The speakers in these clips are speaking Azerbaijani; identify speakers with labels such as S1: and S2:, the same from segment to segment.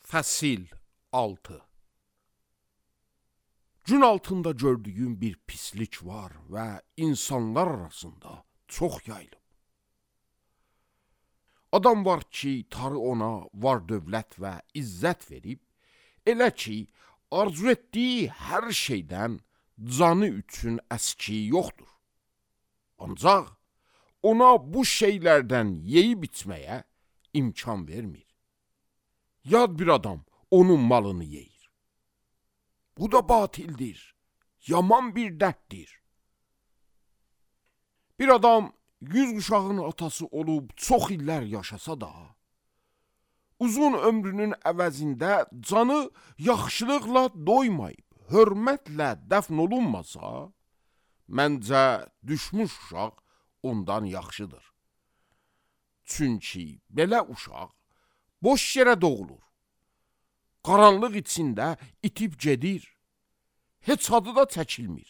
S1: Fəsil 6. Gün altında gördüyüm bir pislik var və insanlar arasında çox yayılıb. Adam var ki, Tanrı ona var dövlət və izzət verib, elə ki, arzu etdiyi hər şeydən canı üçün əski yoxdur. Ancaq ona bu şeylərdən yeyib içməyə imkan vermir. Yad bir adam onun malını yeyir. Bu da batildir, yaman bir dərddir. Bir adam 100 uşağın atası olub çox illər yaşasa da, uzun ömrünün əvəzində canı yaxşılıqla doymayıb, hörmətlə dəfn olunmasa, məncə düşmüş uşaq ondan yaxşıdır. Çünki belə uşaq boş yerə doğulur. Qaranlıq içində itib gedir. Heç adı da çəkilmir.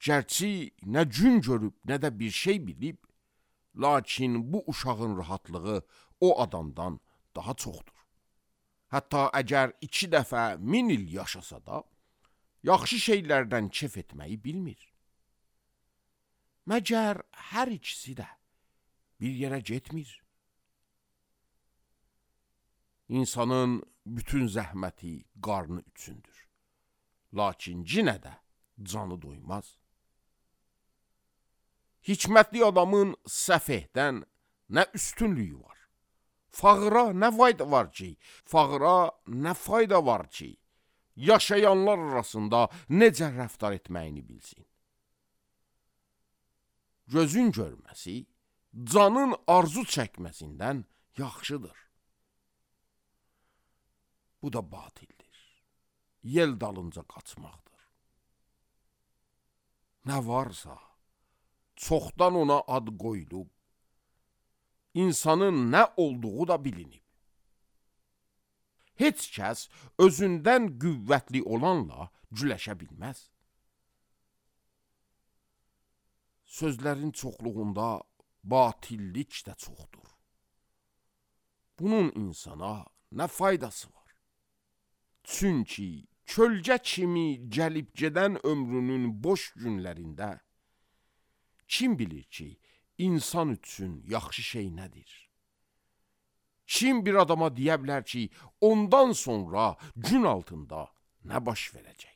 S1: Gərçi nə gün görüb, nə də bir şey bilib, lakin bu uşağın rahatlığı o adamdan daha çoxdur. Hətta əgər 2 dəfə 1000 il yaşasa da, yaxşı şeylərdən kef etməyi bilmir. Məgər hər ikisi də bir yerə getmir. İnsanın bütün zəhməti qarnı üçündür. Lakin yenə də canı doymaz. Hikmətli adamın səfehdən nə üstünlüyü var? Fağıra nə fayda var ki, yaşayanlar arasında necə rəftar etməyini bilsin. Gözün görməsi, canın arzu çəkməsindən yaxşıdır. Bu da batildir. Yel dalınca qaçmaqdır. Nə varsa, çoxdan ona ad qoyulub, insanın nə olduğu da bilinib. Heç kəs özündən qüvvətli olanla güləşə bilməz. Sözlərin çoxluğunda batillik də çoxdur. Bunun insana nə faydası var? Çünki kölgə kimi gəlib gedən ömrünün boş günlərində kim bilir ki, insan üçün yaxşı şey nədir? Kim bir adama deyə bilər ki, ondan sonra gün altında nə baş verəcək?